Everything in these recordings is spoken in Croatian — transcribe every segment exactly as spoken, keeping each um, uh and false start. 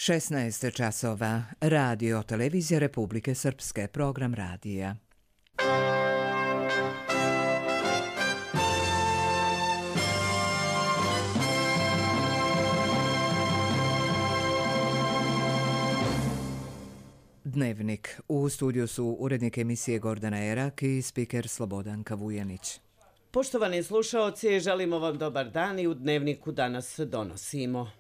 šesnaest časova. Radio Televizija Republike Srpske. Program radija. Dnevnik. U studiju su urednik emisije Gordana Erak i spiker Slobodanka Vujanić. Poštovani slušaoci, želimo vam dobar dan i u Dnevniku danas donosimo.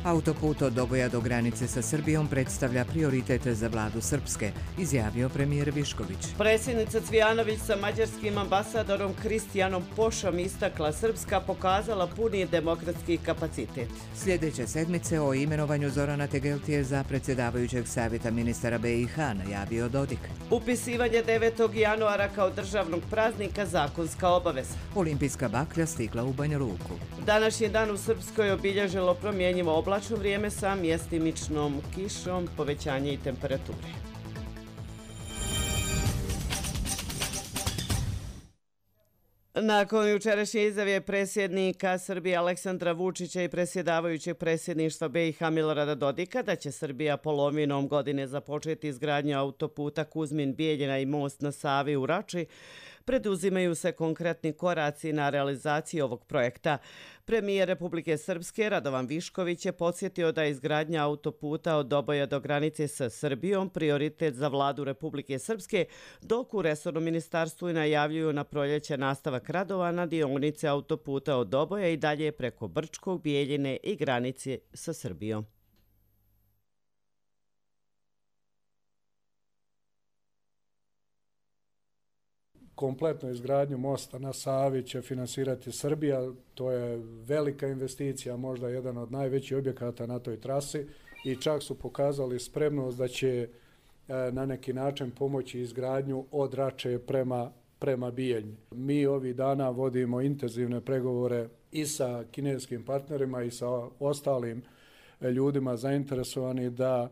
Autoput od Doboja do granice sa Srbijom predstavlja prioritet za vladu Srpske, izjavio premijer Višković. Predsjednica Cvijanović sa mađarskim ambasadorom Kristijanom Pošom istakla Srpska pokazala puni demokratski kapacitet. Sljedeće sedmice o imenovanju Zorana Tegeltije za predsjedavajućeg savjeta ministara B i H najavio Dodik. Upisivanje devetog januara kao državnog praznika zakonska obaveza. Olimpijska baklja stigla u Banja Luku. Današnji dan u Srpskoj obilježilo promjenjivo oblačno vrijeme sa mjestimičnom kišom, povećanje i temperature. Nakon jučerašnje izjave predsjednika Srbije Aleksandra Vučića i predsjedavajućeg predsjedništva B i H Milorada Dodika da će Srbija polovinom godine započeti izgradnju autoputa Kuzmin-Bijeljina i most na Savi u Rači, preduzimaju se konkretni koraci na realizaciji ovog projekta. Premijer Republike Srpske Radovan Višković je podsjetio da je izgradnja autoputa od Doboja do granice sa Srbijom prioritet za vladu Republike Srpske, dok u resornom ministarstvu i najavljuju na proljeće nastavak radova na dionice autoputa od Doboja i dalje preko Brčkog, Bijeljine i granice sa Srbijom. Kompletnu izgradnju mosta na Savi će finansirati Srbija. To je velika investicija, možda jedan od najvećih objekata na toj trasi i čak su pokazali spremnost da će na neki način pomoći izgradnju od Rače prema, prema Bijeljni. Mi ovih dana vodimo intenzivne pregovore i sa kineskim partnerima i sa ostalim ljudima zainteresovani da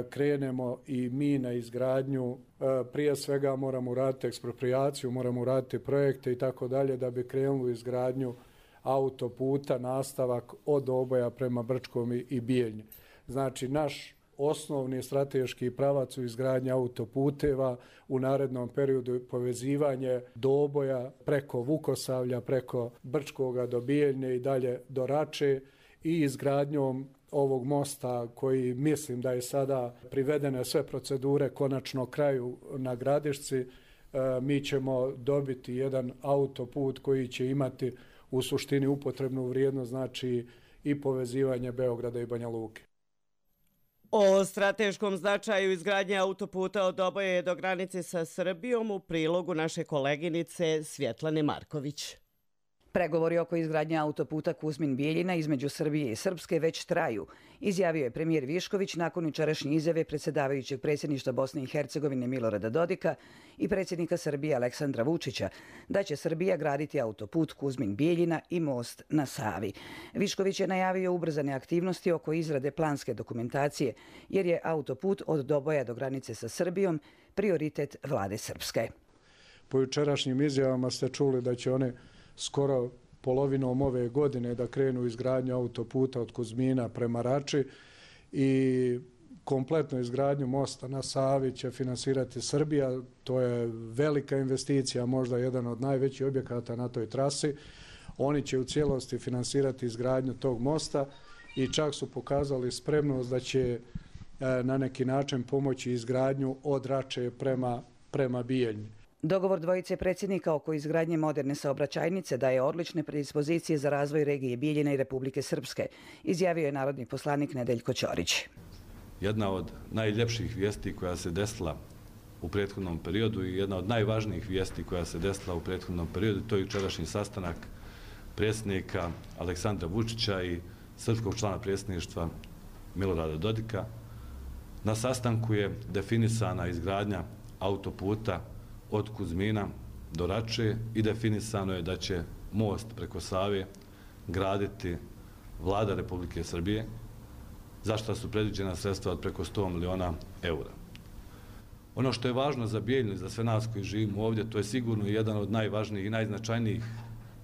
krenemo i mi na izgradnju. Prije svega moramo uraditi eksproprijaciju, moramo uraditi projekte i tako dalje da bi krenuli u izgradnju autoputa, nastavak od Doboja prema Brčkom i Bijeljni. Znači, naš osnovni strateški pravac u izgradnji autoputeva u narednom periodu povezivanje Doboja preko Vukosavlja, preko Brčkoga do Bijeljne i dalje do Rače i izgradnjom ovog mosta koji mislim da je sada privedene sve procedure konačno kraju na Gradišci, mi ćemo dobiti jedan autoput koji će imati u suštini upotrebnu vrijednost, znači i povezivanje Beograda i Banja Luke. O strateškom značaju izgradnje autoputa od Doboja do granice sa Srbijom u prilogu naše koleginice Svjetlane Marković. Pregovori oko izgradnje autoputa Kuzmin-Bijeljina između Srbije i Srpske već traju, izjavio je premijer Višković nakon jučerašnje izjave predsjedavajućeg predsjedništva Bosne i Hercegovine Milorada Dodika i predsjednika Srbije Aleksandra Vučića da će Srbija graditi autoput Kuzmin-Bijeljina i most na Savi. Višković je najavio ubrzane aktivnosti oko izrade planske dokumentacije jer je autoput od Doboja do granice sa Srbijom prioritet vlade Srpske. Po jučerašnjim izjavama ste čuli da će one skoro polovinom ove godine da krenu izgradnju autoputa od Kuzmina prema Rači i kompletnu izgradnju mosta na Savi će finansirati Srbija. To je velika investicija, možda jedan od najvećih objekata na toj trasi. Oni će u cijelosti finansirati izgradnju tog mosta i čak su pokazali spremnost da će na neki način pomoći izgradnju od Rače prema, prema Bijeljni. Dogovor dvojice predsjednika oko izgradnje moderne saobraćajnice daje odlične predispozicije za razvoj regije Bijeljine i Republike Srpske, izjavio je narodni poslanik Nedeljko Ćorić. Jedna od najljepših vijesti koja se desila u prethodnom periodu i jedna od najvažnijih vijesti koja se desila u prethodnom periodu, to je jučerašnji sastanak predsjednika Aleksandra Vučića i srpskog člana predsjedništva Milorada Dodika. Na sastanku je definisana izgradnja autoputa od Kuzmina do Rače i definisano je da će most preko Save graditi vlada Republike Srbije, za što su predviđena sredstva od preko sto miliona eura. Ono što je važno za Bijeljinu i za sve nas koji živimo ovdje, to je sigurno jedan od najvažnijih i najznačajnijih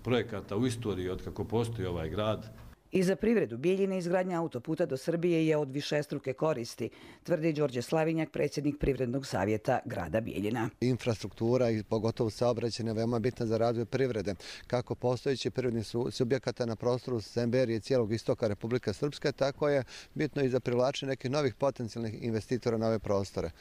projekata u istoriji od kako postoji ovaj grad. I za privredu Bijeljine izgradnja autoputa do Srbije je od višestruke koristi, tvrdi Đorđe Slavinjak, predsjednik Privrednog savjeta grada Bijeljina. Infrastruktura i pogotovo saobraćaj je veoma bitna za razvoj privrede, kako postojeći privredni subjekata na prostoru Semberije i cijelog istoka Republike Srpske, tako je bitno i za privlačenje nekih novih potencijalnih investitora na ove prostore.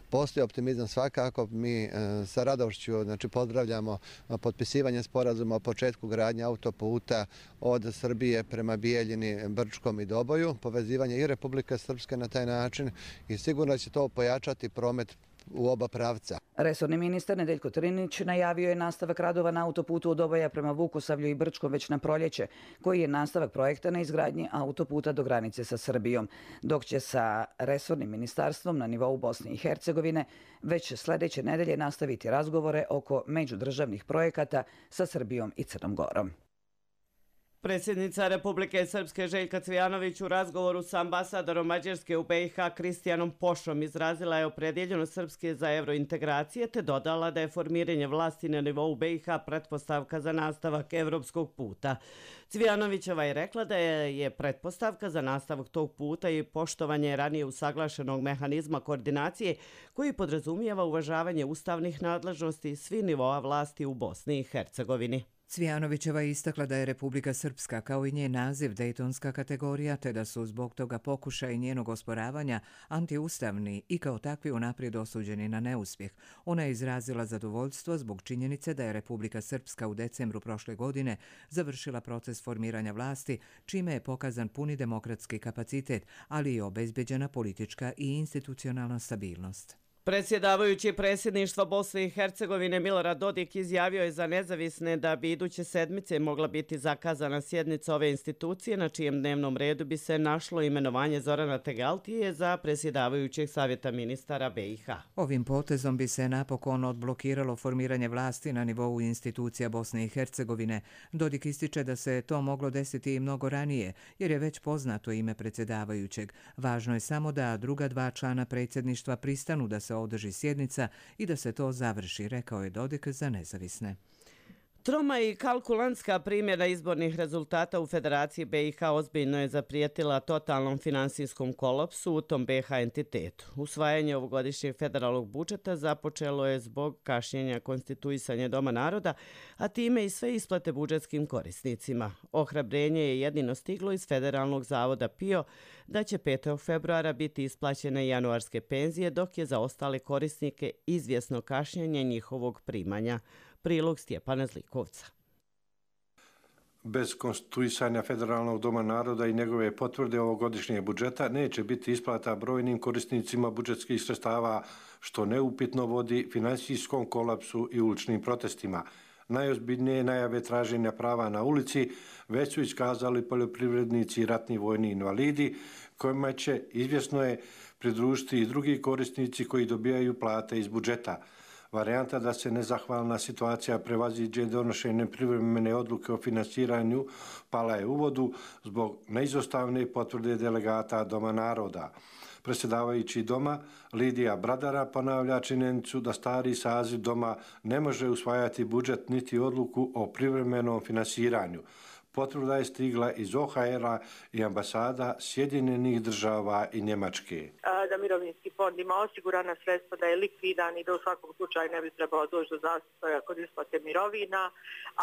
Postoji optimizam svakako, mi sa radošću znači, pozdravljamo potpisivanje sporazuma o početku gradnje autoputa od Srbije prema Bijeljini, Brčkom i Doboju, povezivanje i Republike Srpske na taj način i sigurno će to pojačati promet u oba pravca. Resorni ministar Nedeljko Trinić najavio je nastavak radova na autoputu od Doboja prema Vukosavlju i Brčkom već na proljeće, koji je nastavak projekta na izgradnji autoputa do granice sa Srbijom, dok će sa resornim ministarstvom na nivou Bosne i Hercegovine već sljedeće nedelje nastaviti razgovore oko međudržavnih projekata sa Srbijom i Crnom Gorom. Predsjednica Republike Srpske Željka Cvijanović u razgovoru sa ambasadorom Mađarske u B i H Kristijanom Pošom izrazila je opredjeljenost Srpske za evrointegracije te dodala da je formiranje vlasti na nivou B i H pretpostavka za nastavak evropskog puta. Cvijanovićeva je rekla da je, je pretpostavka za nastavak tog puta i poštovanje ranije usaglašenog mehanizma koordinacije koji podrazumijeva uvažavanje ustavnih nadležnosti svih nivoa vlasti u Bosni i Hercegovini. Cvijanovićeva je istakla da je Republika Srpska kao i njen naziv dejtonska kategorija te da su zbog toga pokušaj njenog osporavanja antiustavni i kao takvi unaprijed osuđeni na neuspjeh. Ona je izrazila zadovoljstvo zbog činjenice da je Republika Srpska u decembru prošle godine završila proces formiranja vlasti, čime je pokazan puni demokratski kapacitet, ali i obezbeđena politička i institucionalna stabilnost. Predsjedavajući predsjedništva Bosne i Hercegovine Milorad Dodik izjavio je za nezavisne da bi iduće sedmice mogla biti zakazana sjednica ove institucije na čijem dnevnom redu bi se našlo imenovanje Zorana Tegeltije za predsjedavajućeg savjeta ministara B i H. Ovim potezom bi se napokon odblokiralo formiranje vlasti na nivou institucija Bosne i Hercegovine. Dodik ističe da se to moglo desiti i mnogo ranije, jer je već poznato ime predsjedavajućeg. Važno je samo da druga dva člana predsjedništva pristanu da se održi sjednica i da se to završi, rekao je Dodik za nezavisne. Troma i kalkulantska primjena izbornih rezultata u Federaciji B i H ozbiljno je zaprijetila totalnom finansijskom kolapsu u tom B i H entitetu. Usvajanje ovogodišnjeg federalnog budžeta započelo je zbog kašnjenja konstituisanja Doma naroda, a time i sve isplate budžetskim korisnicima. Ohrabrenje je jedino stiglo iz Federalnog zavoda P I O da će petog februara biti isplaćene januarske penzije, dok je za ostale korisnike izvjesno kašnjenje njihovog primanja. Prilog Stjepana Zlikovca. Bez konstituisanja Federalnog doma naroda i njegove potvrde ovogodišnjeg budžeta neće biti isplata brojnim korisnicima budžetskih sredstava, što neupitno vodi finansijskom kolapsu i uličnim protestima. Najozbiljnije najave traženja prava na ulici već su iskazali poljoprivrednici i ratni vojni invalidi, kojima će, izvjesno je, pridružiti i drugi korisnici koji dobijaju plate iz budžeta. Varijanta da se nezahvalna situacija prevaziđe donošenjem privremene odluke o finansiranju pala je u vodu zbog neizostavne potvrde delegata Doma naroda. Predsjedavajući Doma, Lidija Bradara, ponavlja činjenicu da stari saziv Doma ne može usvajati budžet niti odluku o privremenom finansiranju. Potvrda je stigla iz O H R-a i ambasada Sjedinjenih država i Njemačke. Da mirovinski fond ima osigurana sredstva, da je likvidan i da u svakom slučaju ne bi trebalo doći do zastoja kod isplate mirovina,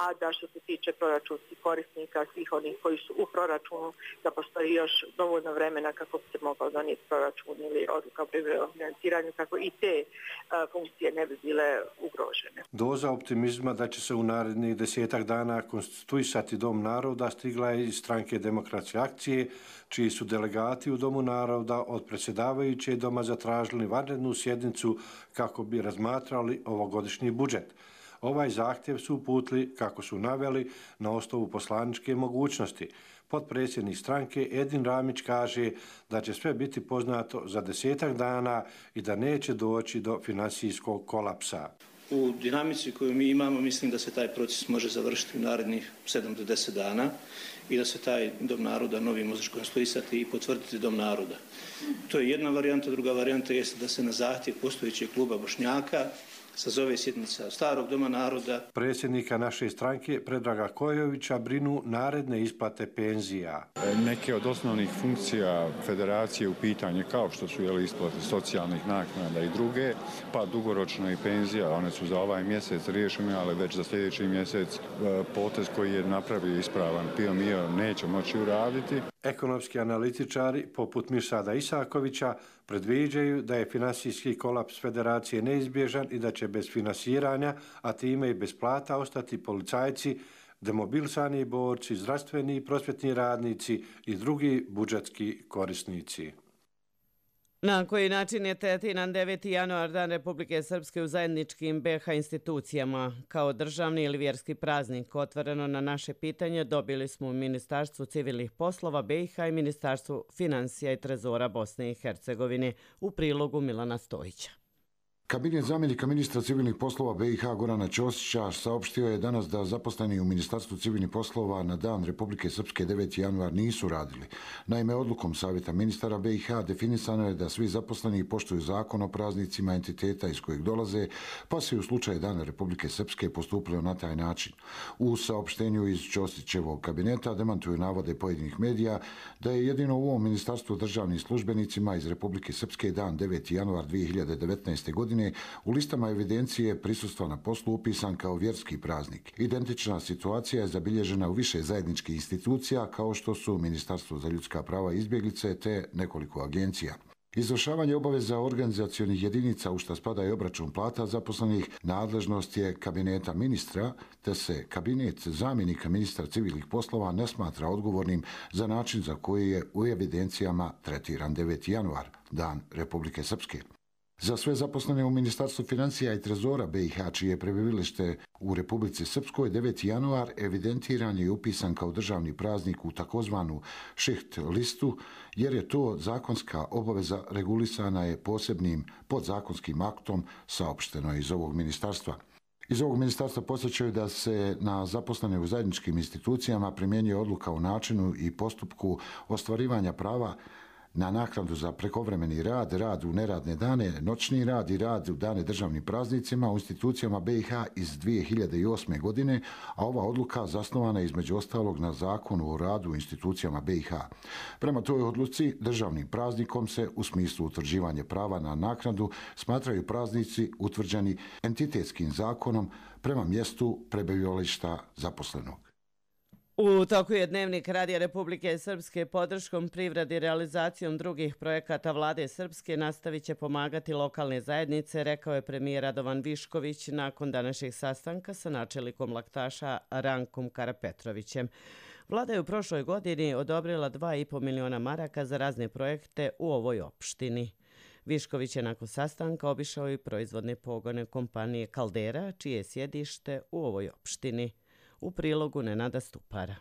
a da što se tiče proračunskih korisnika, svih onih koji su u proračunu, da postoji još dovoljno vremena kako bi se mogao donijeti proračun ili odluka o privremenom financiranju, kako i te a, funkcije ne bi bile ugrožene. Doza optimizma da će se u narednih desetak dana konstituisati Dom naroda stigla je iz stranke Demokratske akcije, čiji su delegati u Domu naroda od predsjedavajuće Doma zatražili vanrednu sjednicu kako bi razmatrali ovogodišnji budžet. Ovaj zahtjev su uputili, kako su naveli, na osnovu poslaničke mogućnosti. Potpredsjednik stranke Edin Ramić kaže da će sve biti poznato za desetak dana i da neće doći do finansijskog kolapsa. U dinamici koju mi imamo, mislim da se taj proces može završiti u narednih sedam do deset dana i da se taj Dom naroda novi može konstituisati i potvrditi Dom naroda. To je jedna varijanta. Druga varijanta jeste da se na zahtjev postojećeg kluba Bošnjaka sazove sjednica Starog doma naroda. Predsjednika naše stranke Predraga Kojovića brinu naredne isplate penzija. Neke od osnovnih funkcija federacije u pitanje, kao što su jeli, isplate socijalnih naknada i druge, pa dugoročno i penzija, one su za ovaj mjesec riješene, ali već za sljedeći mjesec potez koji je napravio ispravan Pio Mio neće moći uraditi. Ekonomski analitičari, poput Mirsada Isakovića, predviđaju da je finansijski kolaps federacije neizbježan i da će bez finansiranja, a time i bez plata, ostati policajci, demobilisani borci, zdravstveni i prosvjetni radnici i drugi budžetski korisnici. Na koji način je tretiran deveti januar, Dan Republike Srpske u zajedničkim be ha institucijama? Kao državni ili vjerski praznik? Otvoreno na naše pitanje dobili smo u Ministarstvu civilnih poslova be ha i Ministarstvu financija i trezora Bosne i Hercegovine, u prilogu Milana Stojića. Kabinet zamjenika ministra civilnih poslova be ha Gorana Ćosića saopštio je danas da zaposleni u Ministarstvu civilnih poslova na Dan Republike Srpske deveti januar nisu radili. Naime, odlukom Savjeta ministara be ha definisano je da svi zaposleni poštuju zakon o praznicima entiteta iz kojeg dolaze, pa se u slučaju Dana Republike Srpske postupilo na taj način. U saopštenju iz Ćosićevog kabineta demantuju navode pojedinih medija da je jedino u ovom ministarstvu državnim službenicima iz Republike Srpske dan deveti januar dvije hiljade devetnaeste. godine u listama evidencije prisustva na poslu upisan kao vjerski praznik. Identična situacija je zabilježena u više zajedničkih institucija kao što su Ministarstvo za ljudska prava i izbjeglice te nekoliko agencija. Izvršavanje obaveza organizacionih jedinica u što spada i obračun plata zaposlenih nadležnost je kabineta ministra, te se kabinet zamjenika ministra civilnih poslova ne smatra odgovornim za način za koji je u evidencijama tretiran deveti januar, Dan Republike Srpske. Za sve zaposlene u Ministarstvu financija i trezora be ha, čije je prebivalište u Republici Srpskoj, deveti januar evidentiran je i upisan kao državni praznik u takozvanu šiht listu, jer je to zakonska obaveza regulisana je posebnim podzakonskim aktom, saopšteno iz ovog ministarstva. Iz ovog ministarstva podsjećaju da se na zaposlene u zajedničkim institucijama primjenjuje odluka o načinu i postupku ostvarivanja prava na naknadu za prekovremeni rad, rad u neradne dane, noćni rad i rad u dane državnim praznicima u institucijama be ha iz dvije hiljade osme. godine, a ova odluka zasnovana je između ostalog na zakonu o radu u institucijama be ha. Prema toj odluci, državnim praznikom se u smislu utvrđivanja prava na naknadu smatraju praznici utvrđeni entitetskim zakonom prema mjestu prebivališta zaposlenog. U toku je Dnevnik Radija Republike Srpske podrškom privredi i realizacijom drugih projekata vlade Srpske nastavit će pomagati lokalne zajednice, rekao je premijer Radovan Višković nakon današnjeg sastanka sa načelnikom laktaša Rankom Karapetrovićem. Vlada je u prošloj godini odobrila dva i po miliona maraka za razne projekte u ovoj opštini. Višković je nakon sastanka obišao i proizvodne pogone kompanije Kaldera, čije je sjedište u ovoj opštini. U prilogu Nenada Stupara.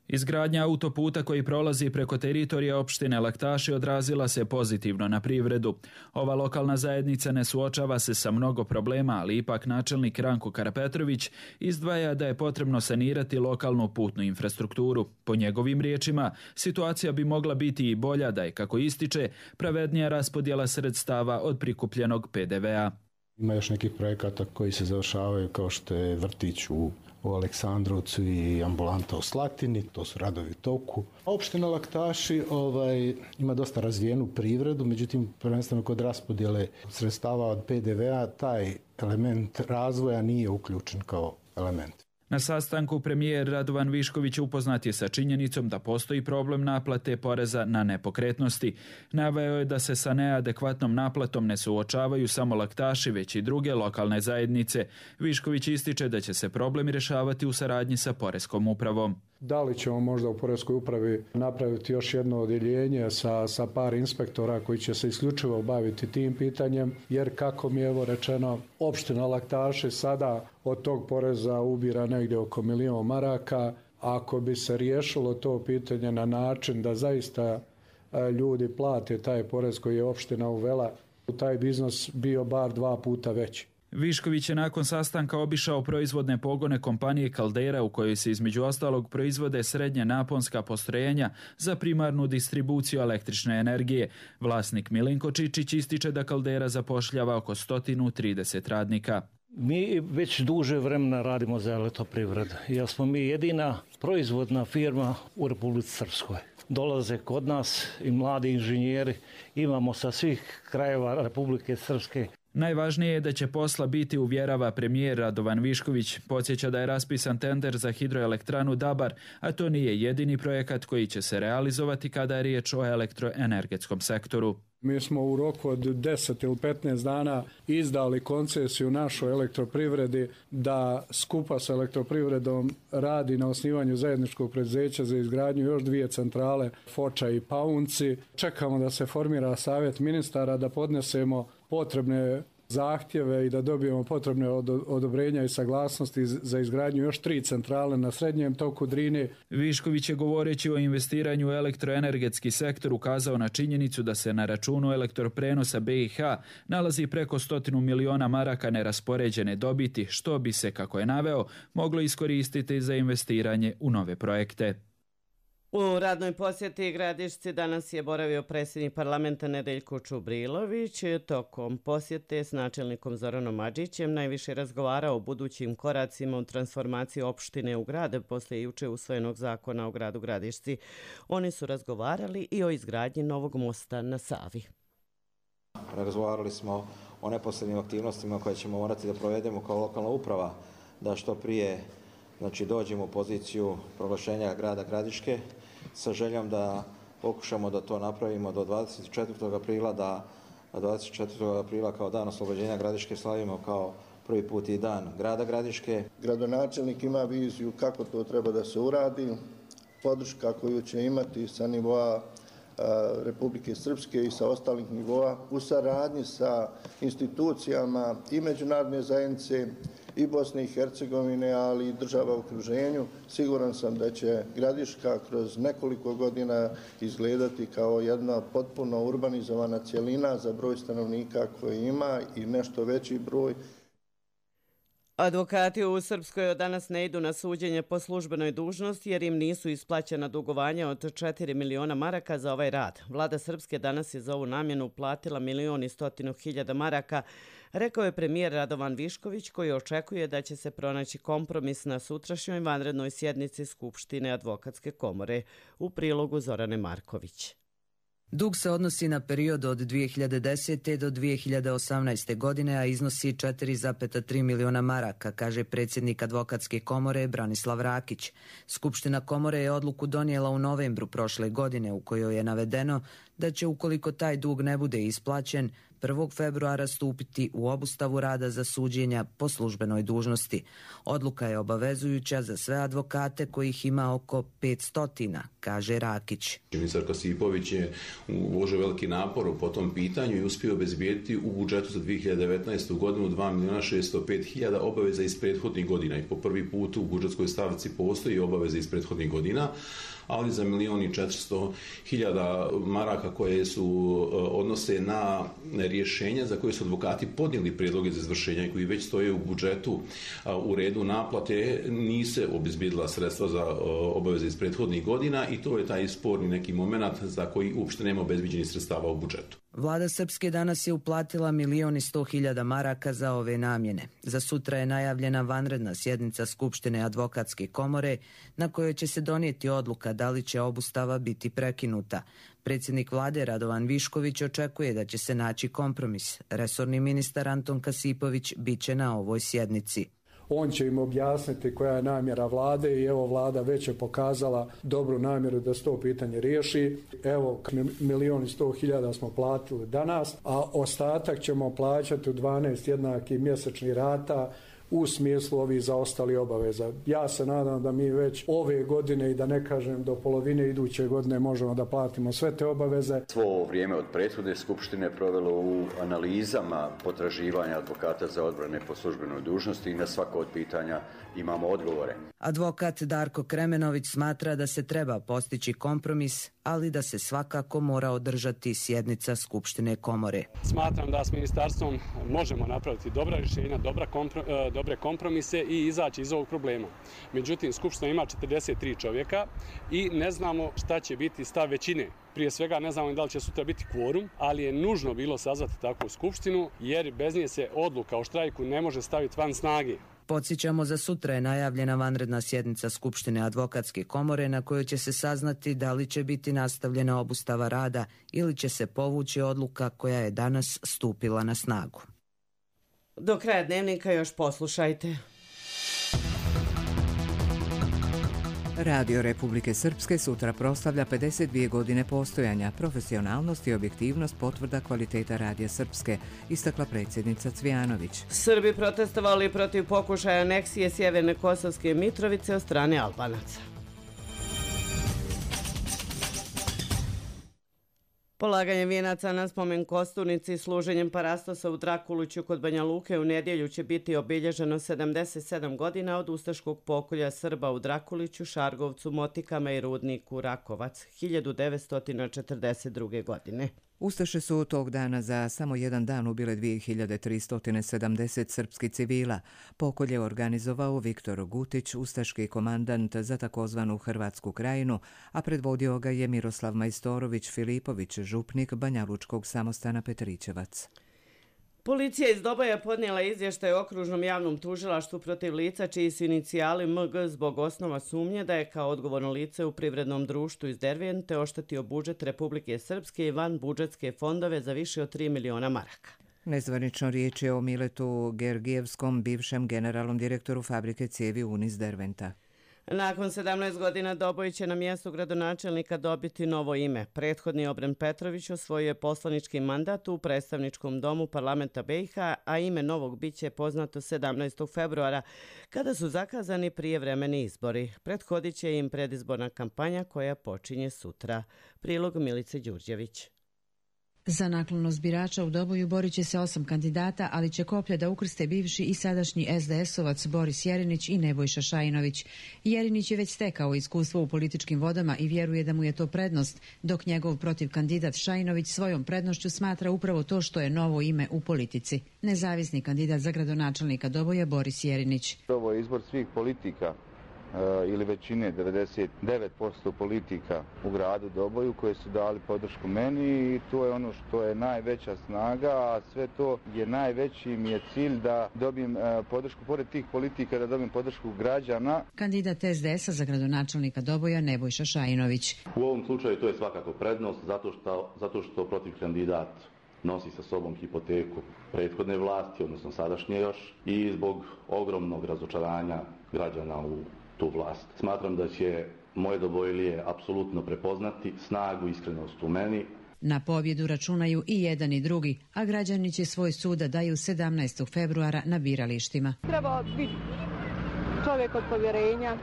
Izgradnja autoputa koji prolazi preko teritorija opštine Laktaši odrazila se pozitivno na privredu. Ova lokalna zajednica ne suočava se sa mnogo problema, ali ipak načelnik Ranko Karapetrović izdvaja da je potrebno sanirati lokalnu putnu infrastrukturu. Po njegovim riječima, situacija bi mogla biti i bolja da je, kako ističe, pravednija raspodjela sredstava od prikupljenog pe de ve a. Ima još nekih projekata koji se završavaju kao što je vrtić u u Aleksandrovcu i ambulanta u Slatini, to su radovi u toku. Opština Laktaši ovaj, ima dosta razvijenu privredu, međutim, prvenstveno kod raspodjele sredstava od pe de ve a, taj element razvoja nije uključen kao element. Na sastanku premijer Radovan Višković upoznat je sa činjenicom da postoji problem naplate poreza na nepokretnosti. Naveo je da se sa neadekvatnom naplatom ne suočavaju samo Laktaši, već i druge lokalne zajednice. Višković ističe da će se problemi rješavati u saradnji sa Poreskom upravom. Da li ćemo možda u Poreskoj upravi napraviti još jedno odjeljenje sa, sa par inspektora koji će se isključivo baviti tim pitanjem, jer kako mi je evo rečeno, opština Laktaši sada od tog poreza ubira negdje oko milion maraka. Ako bi se riješilo to pitanje na način da zaista ljudi plate taj porez koji je opština uvela, taj biznos bio bar dva puta veći. Višković je nakon sastanka obišao proizvodne pogone kompanije Caldera u kojoj se između ostalog proizvode srednje naponska postrojenja za primarnu distribuciju električne energije. Vlasnik Milinko Čičić ističe da Caldera zapošljava oko sto trideset radnika. Mi već duže vremena radimo za Elektroprivredu, jer smo mi jedina proizvodna firma u Republici Srpskoj. Dolaze kod nas i mladi inženjeri, imamo sa svih krajeva Republike Srpske. Najvažnije je da će posla biti, uvjerava premijer Radovan Višković. Podsjeća da je raspisan tender za hidroelektranu Dabar, a to nije jedini projekat koji će se realizovati kada je riječ o elektroenergetskom sektoru. Mi smo u roku od deset ili petnaest dana izdali koncesiju našoj Elektroprivredi da skupa sa Elektroprivredom radi na osnivanju zajedničkog preduzeća za izgradnju još dvije centrale, Foča i Paunci. Čekamo da se formira savjet ministara, da podnesemo potrebne zahtjeve i da dobijemo potrebne odobrenja i saglasnosti za izgradnju još tri centrale na srednjem toku Drine. Višković je govoreći o investiranju u elektroenergetski sektor ukazao na činjenicu da se na računu elektroprenosa B i H nalazi preko stotinu miliona maraka neraspoređene dobiti, što bi se, kako je naveo, moglo iskoristiti za investiranje u nove projekte. U radnoj posjeti Gradišci danas je boravio predsjednik parlamenta Nedeljko Čubrilović. Tokom posjete s načelnikom Zoranom Adžićem najviše razgovarao o budućim koracima u transformaciji opštine u grad poslije juče usvojenog zakona o gradu Gradišci. Oni su razgovarali i o izgradnji novog mosta na Savi. Razgovarali smo o neposrednim aktivnostima koje ćemo morati da provedemo kao lokalna uprava, da što prije znači, dođemo u poziciju proglašenja grada Gradiške sa željom da pokušamo da to napravimo do dvadeset četvrtog aprila, da dvadeset četvrtog aprila kao dan oslobođenja Gradiške slavimo kao prvi put i dan grada Gradiške. Gradonačelnik ima viziju kako to treba da se uradi, podrška koju će imati sa nivoa Republike Srpske i sa ostalih nivoa u saradnji sa institucijama i međunarodne zajednice i Bosne i Hercegovine, ali i država u okruženju. Siguran sam da će Gradiška kroz nekoliko godina izgledati kao jedna potpuno urbanizovana cjelina za broj stanovnika koji ima i nešto veći broj. Advokati u Srpskoj od danas ne idu na suđenje po službenoj dužnosti jer im nisu isplaćena dugovanja od četiri miliona maraka za ovaj rad. Vlada Srpske danas je za ovu namjenu platila milion i stotinu hiljada maraka, rekao je premijer Radovan Višković, koji očekuje da će se pronaći kompromis na sutrašnjoj vanrednoj sjednici Skupštine Advokatske komore. U prilogu Zorane Marković. Dug se odnosi na period od dvije hiljade desete. do dvije hiljade osamnaeste. godine, a iznosi četiri zarez tri miliona maraka, kaže predsjednik Advokatske komore Branislav Rakić. Skupština komore je odluku donijela u novembru prošle godine u kojoj je navedeno da će, ukoliko taj dug ne bude isplaćen, prvog februara stupiti u obustavu rada za suđenja po službenoj dužnosti. Odluka je obavezujuća za sve advokate kojih ima oko petsto, kaže Rakić. Ministar Kasipović je uložio veliki napor po tom pitanju i uspio obezbijediti u budžetu za dvije hiljade devetnaestu. godinu dva miliona šesto pet hiljada obaveza iz prethodnih godina i po prvi put u budžetskoj stavci postoji obaveza iz prethodnih godina, ali za milion i četiristo hiljada maraka koje su odnose na rješenja za koje su advokati podnijeli prijedloge za izvršenja i koji već stoje u budžetu u redu naplate, nise obezbijedila sredstva za obaveze iz prethodnih godina i to je taj sporni neki moment za koji uopšte nema obezbiđenih sredstava u budžetu. Vlada Srpske danas je uplatila milion i sto hiljada maraka za ove namjene. Za sutra je najavljena vanredna sjednica Skupštine Advokatske komore na kojoj će se donijeti odluka da li će obustava biti prekinuta. Predsjednik vlade Radovan Višković očekuje da će se naći kompromis. Resorni ministar Anton Kasipović biće na ovoj sjednici. On će im objasniti koja je namjera vlade i evo vlada već je pokazala dobru namjeru da se to pitanje riješi. Evo milion i sto hiljada smo platili danas, a ostatak ćemo plaćati u dvanaest jednakih mjesečnih rata u smislu ovih zaostali obaveza. Ja se nadam da mi već ove godine i da ne kažem do polovine iduće godine možemo da platimo sve te obaveze. Svo ovo vrijeme od prethodne skupštine provelo u analizama potraživanja advokata za odbrane po službenoj dužnosti i na svako od pitanja imamo odgovore. Advokat Darko Kremenović smatra da se treba postići kompromis, ali da se svakako mora održati sjednica Skupštine komore. Smatram da s ministarstvom možemo napraviti dobra rješenja, dobra kompro, dobre kompromise i izaći iz ovog problema. Međutim, Skupština ima četrdeset tri čovjeka i ne znamo šta će biti stav većine. Prije svega ne znamo da li će sutra biti kvorum, ali je nužno bilo sazvati takvu skupštinu jer bez nje se odluka o štrajku ne može staviti van snage. Podsjećamo, za sutra je najavljena vanredna sjednica Skupštine advokatske komore na kojoj će se saznati da li će biti nastavljena obustava rada ili će se povući odluka koja je danas stupila na snagu. Do kraja dnevnika još poslušajte. Radio Republike Srpske sutra proslavlja pedeset dvije godine postojanja. Profesionalnost i objektivnost potvrda kvaliteta Radija Srpske, istakla predsjednica Cvijanović. Srbi protestovali protiv pokušaja aneksije Sjeverne Kosovske Mitrovice od strane Albanaca. Polaganje vijenaca na spomen Kostunici i služenjem parastosa u Drakuluću kod Banja Luke u nedjelju će biti obilježeno sedamdeset sedam godina od ustaškog pokolja Srba u Drakuliću, Šargovcu, Motikama i rudniku Rakovac hiljadu devetsto četrdeset druge. godine. Ustaše su tog dana za samo jedan dan ubile dvije hiljade tristo sedamdeset srpskih civila. Pokolje organizovao Viktor Gutić, ustaški komandant za takozvanu Hrvatsku krajinu, a predvodio ga je Miroslav Majstorović Filipović, župnik Banjalučkog samostana Petrićevac. Policija iz Doboja podnijela izvještaj o okružnom javnom tužilaštvu protiv lica čiji su inicijali M G zbog osnova sumnje da je kao odgovorno lice u privrednom društvu iz Dervente oštetio budžet Republike Srpske i van budžetske fondove za više od tri miliona maraka. Nezvanično riječ je o Miletu Gergijevskom, bivšem generalnom direktoru fabrike cijevi Unis Derventa. Nakon sedamnaest godina Doboj će na mjestu gradonačelnika dobiti novo ime. Prethodni Obren Petrović osvojio je poslanički mandat u predstavničkom domu parlamenta B i H, a ime novog biće poznato sedamnaestog februara, kada su zakazani prijevremeni izbori. Prethodit će im predizborna kampanja koja počinje sutra. Prilog Milice Đurđević. Za naklonost birača u Doboju borit će se osam kandidata, ali će koplja da ukrste bivši i sadašnji es de esovac Boris Jerinić i Nebojša Šajinović. Jerinić je već stekao iskustvo u političkim vodama i vjeruje da mu je to prednost, dok njegov protiv kandidat Šajinović svojom prednošću smatra upravo to što je novo ime u politici. Nezavisni kandidat za gradonačelnika Doboja Boris Jerinić. Ovo je izbor svih politika ili većine, devedeset devet posto politika u gradu Doboju koje su dali podršku meni i to je ono što je najveća snaga, a sve to je najveći mi je cilj da dobijem podršku, pored tih politika, da dobijem podršku građana. Kandidat es de esa za gradonačelnika Doboja Nebojša Šajinović. U ovom slučaju to je svakako prednost zato što, zato što protiv kandidat nosi sa sobom hipoteku prethodne vlasti, odnosno sadašnje još, i zbog ogromnog razočaranja građana u tu vlast. Smatram da će moje Dobojlije apsolutno prepoznati snagu i iskrenost u meni. Na pobjedu računaju i jedan i drugi, a građani će svoj sud da daju sedamnaestog februara na biralištima. Treba biti čovjek od povjerenja,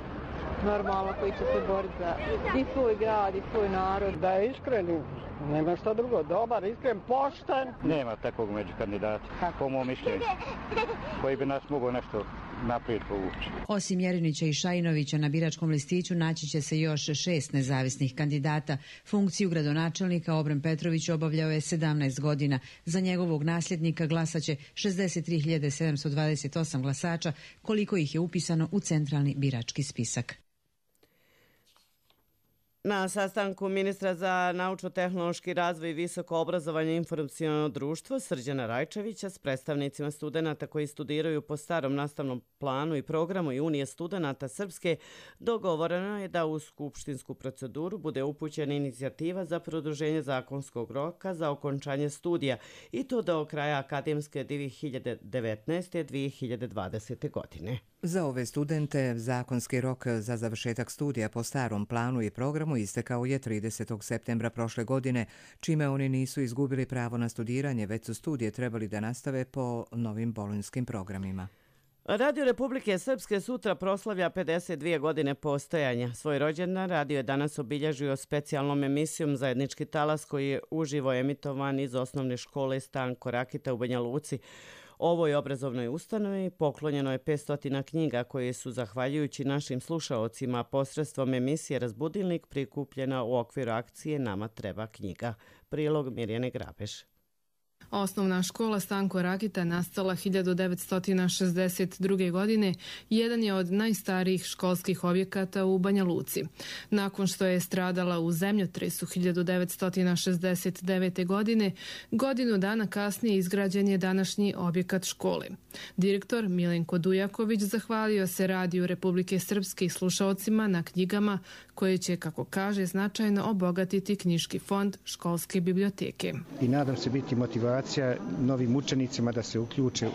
normalno, koji će se boriti za i svoj grad i svoj narod. Da je iskren, nema šta drugo, dobar, iskren, pošten. Nema takvog među kandidata, po mom mišljenju, koji bi nas mogao nešto naprijed povući. Osim Jerinića i Šajinovića na biračkom listiću naći će se još šest nezavisnih kandidata. Funkciju gradonačelnika Obren Petrović obavljao je sedamnaest godina. Za njegovog nasljednika glasaće šezdeset tri hiljade sedamsto dvadeset osam glasača, koliko ih je upisano u centralni birački spisak. Na sastanku ministra za naučno-tehnološki razvoj i visoko obrazovanje i informaciono društvo Srđana Rajčevića s predstavnicima studenata koji studiraju po starom nastavnom planu i programu i Unije studenata Srpske dogovoreno je da u skupštinsku proceduru bude upućena inicijativa za produženje zakonskog roka za okončanje studija i to do kraja akademske dvije hiljade devetnaeste dvije hiljade dvadesete. godine. Za ove studente zakonski rok za završetak studija po starom planu i programu istekao je tridesetog septembra prošle godine, čime oni nisu izgubili pravo na studiranje, već su studije trebali da nastave po novim bolonjskim programima. Radio Republike Srpske sutra proslavlja pedeset dvije godine postojanja. Svoj rođendan radio je danas obilježio specijalnom emisijom Zajednički talas koji je uživo emitovan iz osnovne škole Stanko Rakita u Banja Luci. Ovoj obrazovnoj ustanovi poklonjeno je petsto knjiga koje su, zahvaljujući našim slušaocima, posredstvom emisije Razbudilnik prikupljena u okviru akcije Nama treba knjiga. Prilog Mirjane Grabeš. Osnovna škola Stanko Rakita nastala hiljadu devetsto šezdeset druge. godine jedan je od najstarijih školskih objekata u Banja Luci. Nakon što je stradala u zemljotresu hiljadu devetsto šezdeset devete. godine, godinu dana kasnije izgrađen je današnji objekat škole. Direktor Milenko Dujaković zahvalio se Radiju Republike Srpske i slušaocima na knjigama koje će, kako kaže, značajno obogatiti knjiški fond školske biblioteke. I nadam se biti motivacija novim učenicima da se uključe u,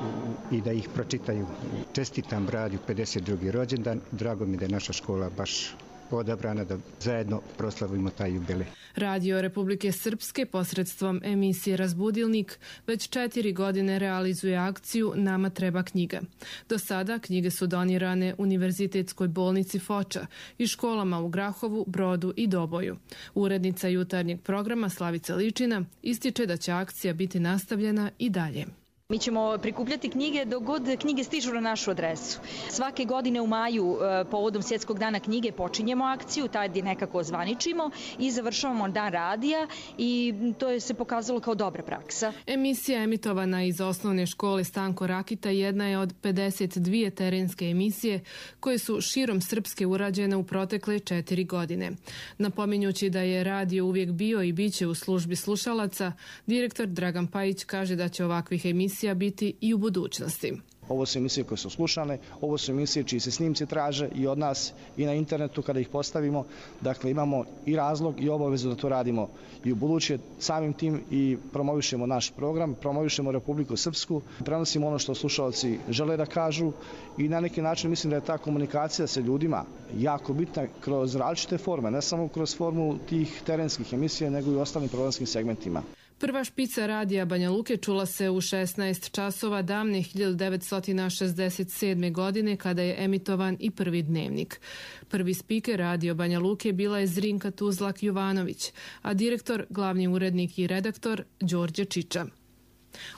i da ih pročitaju. Čestitam Radiju pedeset drugi rođendan. Drago mi da je naša škola baš odabrana da zajedno proslavimo taj jubilej. Radio Republike Srpske posredstvom emisije Razbudilnik već četiri godine realizuje akciju Nama treba knjiga. Do sada knjige su donirane Univerzitetskoj bolnici Foča i školama u Grahovu, Brodu i Doboju. Urednica jutarnjeg programa Slavica Ličina ističe da će akcija biti nastavljena i dalje. Mi ćemo prikupljati knjige dok god knjige stižu na našu adresu. Svake godine u maju povodom Svjetskog dana knjige počinjemo akciju, tad je nekako ozvaničimo i završavamo dan radija i to je se pokazalo kao dobra praksa. Emisija emitovana iz osnovne škole Stanko Rakita jedna je od pedeset dvije terenske emisije koje su širom Srpske urađene u protekle četiri godine. Napominjući da je radio uvijek bio i biće u službi slušalaca, direktor Dragan Pajić kaže da će ovakvih emisija biti i u budućnosti. Ovo su emisije koje su slušane, ovo su emisije čiji se snimci traže i od nas i na internetu kada ih postavimo. Dakle, imamo i razlog i obavezu da to radimo i u buduće. Samim tim i promovišemo naš program, promovišemo Republiku Srpsku, prenosimo ono što slušalci žele da kažu i na neki način mislim da je ta komunikacija sa ljudima jako bitna kroz različite forme, ne samo kroz formu tih terenskih emisija, nego i u ostalim programskim segmentima. Prva špica radija Banja Luke čula se u šesnaest časova davne hiljadu devetsto šezdeset sedme. godine kada je emitovan i prvi dnevnik. Prvi spiker radio Banja Luke bila je Zrinka Tuzlak Jovanović, a direktor, glavni urednik i redaktor Đorđe Čiča.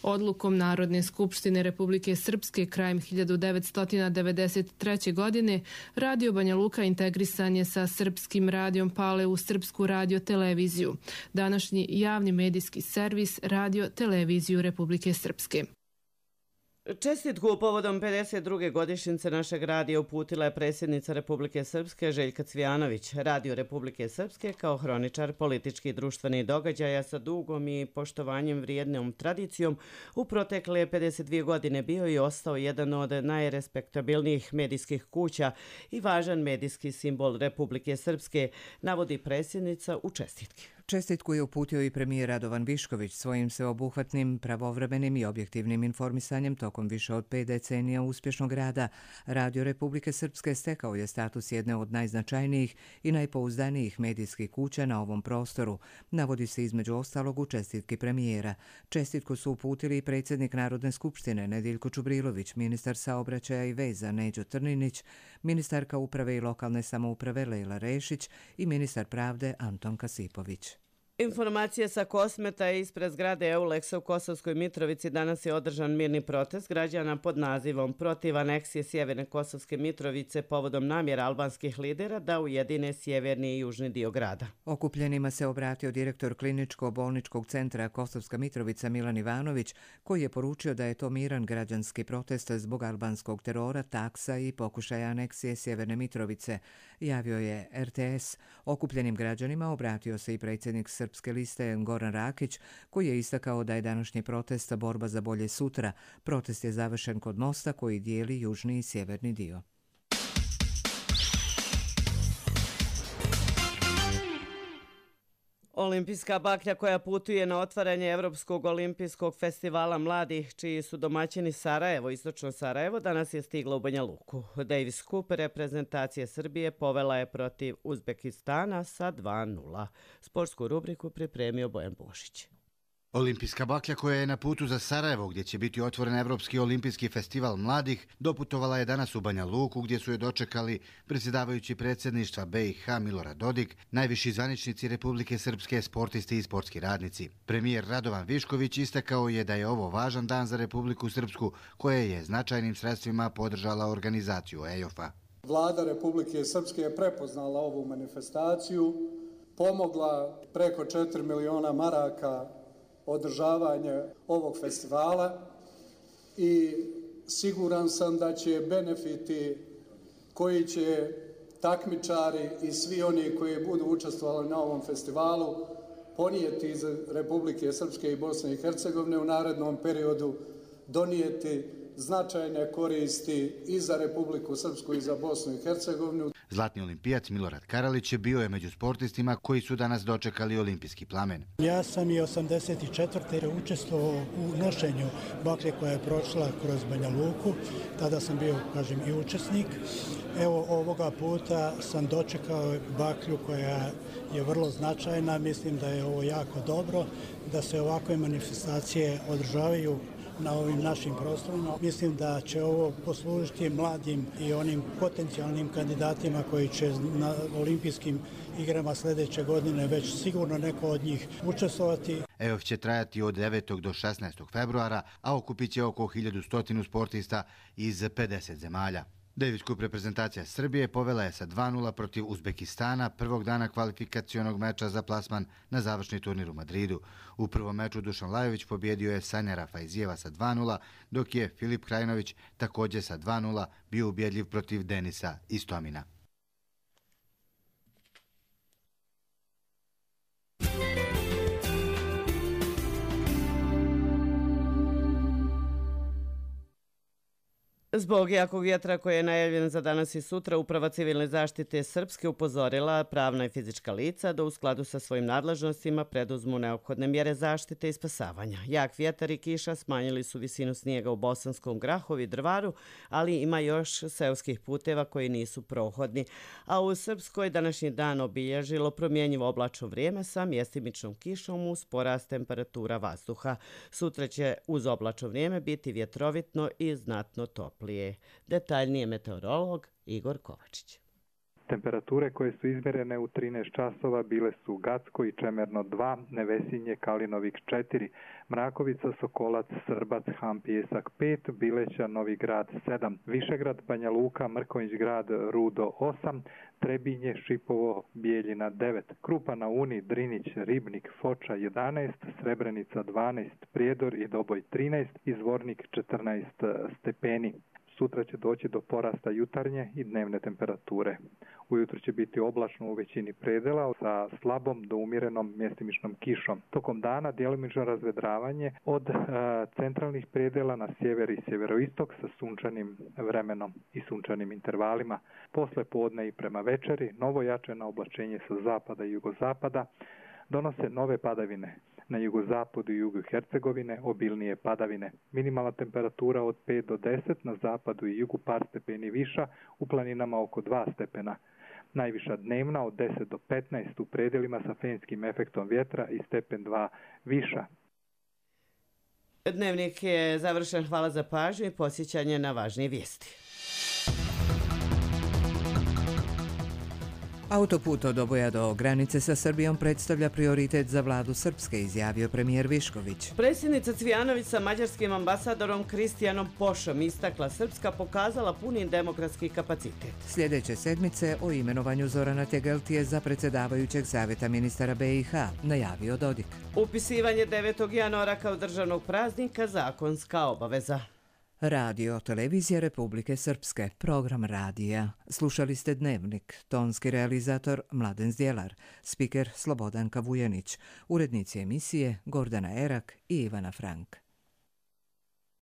Odlukom Narodne skupštine Republike Srpske krajem hiljadu devetsto devedeset treće. godine Radio Banja Luka integrisan je sa Srpskim radijom Pale u Srpsku radio televiziju, današnji javni medijski servis Radio televiziju Republike Srpske. Čestitku povodom pedeset druge godišnjice našeg radija uputila je predsjednica Republike Srpske Željka Cvijanović. Radio Republike Srpske kao hroničar političkih i društvenih događaja sa dugom i poštovanjem vrijednom tradicijom u protekle pedeset dvije godine bio i ostao jedan od najrespektabilnijih medijskih kuća i važan medijski simbol Republike Srpske, navodi predsjednica u čestitki. Čestitku je uputio i premijer Radovan Višković svojim sveobuhvatnim, pravovremenim i objektivnim informisanjem tokom više od pet decenija uspješnog rada. Radio Republike Srpske stekao je status jedne od najznačajnijih i najpouzdanijih medijskih kuća na ovom prostoru, navodi se između ostalog u čestitki premijera. Čestitku su uputili i predsjednik Narodne skupštine Nediljko Čubrilović, ministar saobraćaja i veza Neđo Trninić, ministarka uprave i lokalne samouprave Lejla Rešić i ministar pravde Anton Kasipović. Informacije sa Kosmeta ispred zgrade Euleksa u Kosovskoj Mitrovici danas je održan mirni protest građana pod nazivom Protiv aneksije Sjeverne Kosovske Mitrovice povodom namjera albanskih lidera da ujedine sjeverni i južni dio grada. Okupljenima se obratio direktor kliničko-bolničkog centra Kosovska Mitrovica Milan Ivanović, koji je poručio da je to miran građanski protest zbog albanskog terora, taksa i pokušaja aneksije Sjeverne Mitrovice, javio je R T S. Okupljenim građanima obratio se i predsjednik Srpske liste Goran Rakić, koji je istakao da je današnji protest borba za bolje sutra. Protest je završen kod mosta koji dijeli južni i sjeverni dio. Olimpijska baklja koja putuje na otvaranje Evropskog olimpijskog festivala mladih, čiji su domaćini Sarajevo, istočno Sarajevo, danas je stigla u Banja Luku. Davis Cup reprezentacije Srbije povela je protiv Uzbekistana sa dva nula. Sportsku rubriku pripremio Bojan Bošić. Olimpijska baklja koja je na putu za Sarajevo, gdje će biti otvoren Evropski olimpijski festival mladih, doputovala je danas u Banja Luku, gdje su je dočekali predsjedavajući predsjedništva B i H Milorad Dodik, najviši zvaničnici Republike Srpske, sportisti i sportski radnici. Premijer Radovan Višković istakao je da je ovo važan dan za Republiku Srpsku, koja je značajnim sredstvima podržala organizaciju E J O F-a. Vlada Republike Srpske je prepoznala ovu manifestaciju, pomogla preko četiri miliona maraka održavanje ovog festivala i siguran sam da će benefiti koji će takmičari i svi oni koji budu učestvovali na ovom festivalu ponijeti iz Republike Srpske i Bosne i Hercegovine u narednom periodu donijeti značajne koristi i za Republiku Srpsku i za Bosnu i Hercegovinu. Zlatni olimpijac Milorad Karalić je bio je među sportistima koji su danas dočekali olimpijski plamen. Ja sam i osamdeset četvrte učestvovao u nošenju baklje koja je prošla kroz Banja Luku. Tada sam bio, kažem, i učesnik. Evo, ovoga puta sam dočekao baklju koja je vrlo značajna. Mislim da je ovo jako dobro, da se ovakve manifestacije održavaju na ovim našim prostorima. Mislim da će ovo poslužiti mladim i onim potencijalnim kandidatima koji će na olimpijskim igrama sljedeće godine već sigurno neko od njih učestvovati. E J O F će trajati od devetog do šesnaestog februara, a okupit će oko hiljadu sto sportista iz pedeset zemalja. Davis Cup reprezentacija Srbije povela je sa dva nula protiv Uzbekistana prvog dana kvalifikacionog meča za plasman na završni turnir u Madridu. U prvom meču Dušan Lajović pobjedio je Sanjara Fajzijeva sa dva nula, dok je Filip Krajinović također sa dva nula bio ubjedljiv protiv Denisa Istomina. Zbog jakog vjetra koji je najavljen za danas i sutra, Uprava civilne zaštite Srpske upozorila pravna i fizička lica da u skladu sa svojim nadležnostima preduzmu neophodne mjere zaštite i spasavanja. Jak vjetar i kiša smanjili su visinu snijega u Bosanskom Grahovu i Drvaru, ali ima još seoskih puteva koji nisu prohodni. A u Srpskoj današnji dan obilježilo promjenjivo oblačno vrijeme sa mjestimičnom kišom uz porast temperatura vazduha. Sutra će uz oblačno vrijeme biti vjetrovitno i znatno toplo. Detaljnije meteorolog Igor Kovačić. Temperature koje su izmjerene u trinaest časova bile su Gacko i Čemerno dva, Nevesinje, Kalinovik četiri, Mrakovica, Sokolac, Srbac, Han, Pijesak pet, Bileća, Novi Grad sedam, Višegrad, Banja Luka, Mrkonjić Grad, Rudo osam, Trebinje, Šipovo, Bijeljina devet, Krupa na Uni, Drinić, Ribnik, Foča jedanaest, Srebrenica dvanaest, Prijedor i Doboj trinaest i Zvornik četrnaest stepeni. Sutra će doći do porasta jutarnje i dnevne temperature. Ujutro će biti oblačno u većini predela sa slabom do umjerenom mjestimičnom kišom. Tokom dana djelomično razvedravanje od e, centralnih predela na sjever i sjeveroistok sa sunčanim vremenom i sunčanim intervalima. Posle podne i prema večeri novo jačeno oblačenje sa zapada i jugozapada donose nove padavine. Na jugozapadu i jugu Hercegovine obilnije padavine. Minimalna temperatura od pet do deset, na zapadu i jugu par stepeni viša, u planinama oko dva stepena. Najviša dnevna od deset do petnaest u predelima sa fenskim efektom vjetra i stepen dva viša. Dnevnik je završen. Hvala za pažnju i posjećanje na važnije vijesti. Autoput od Doboja do granice sa Srbijom predstavlja prioritet za vladu Srpske, izjavio premijer Višković. Predsjednica Cvijanović sa mađarskim ambasadorom Kristijanom Pošom istakla Srpska pokazala puni demokratski kapacitet. Sljedeće sedmice o imenovanju Zorana Tegeltije za predsjedavajućeg savjeta ministara B i H, najavio Dodik. Upisivanje devetog januara kao državnog praznika zakonska obaveza. Radio, televizija Republike Srpske, program radija. Slušali ste Dnevnik, tonski realizator Mladen Zdjelar, spiker Slobodanka Vujanić, urednici emisije Gordana Erak i Ivana Frank.